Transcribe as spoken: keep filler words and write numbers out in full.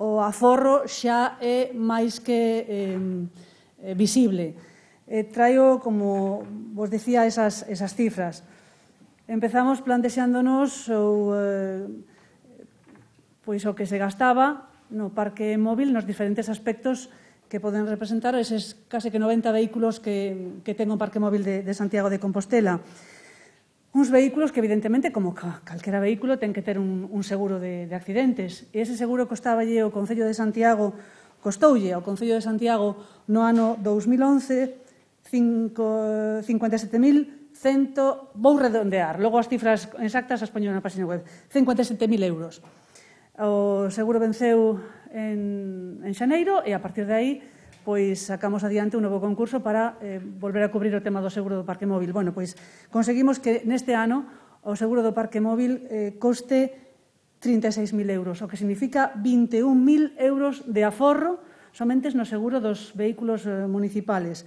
o aforro xa é máis que eh, visible. Eh, traio, como vos dicía, esas, esas cifras. Empezamos plantexándonos o, eh, pois o que se gastaba no parque móvil nos diferentes aspectos que poden representar eses case que noventa vehículos que, que ten o parque móvil de, de Santiago de Compostela. Uns vehículos que, evidentemente, como calquera vehículo, ten que ter un, un seguro de, de accidentes. E ese seguro costaballe ao Concello de Santiago, costoulle ao Concello de Santiago no ano dous mil once cincuenta e sete mil cento, vou redondear, logo as cifras exactas as poño na página web, cincuenta e sete mil euros. O seguro venceu en, en xaneiro e, a partir de aí, pois sacamos adiante un novo concurso para eh, volver a cubrir o tema do seguro do parque móvil. Bueno, pois conseguimos que neste ano o seguro do parque móvil eh, coste trinta e seis mil euros, o que significa vinte e un mil euros de aforro somente no seguro dos vehículos eh, municipales.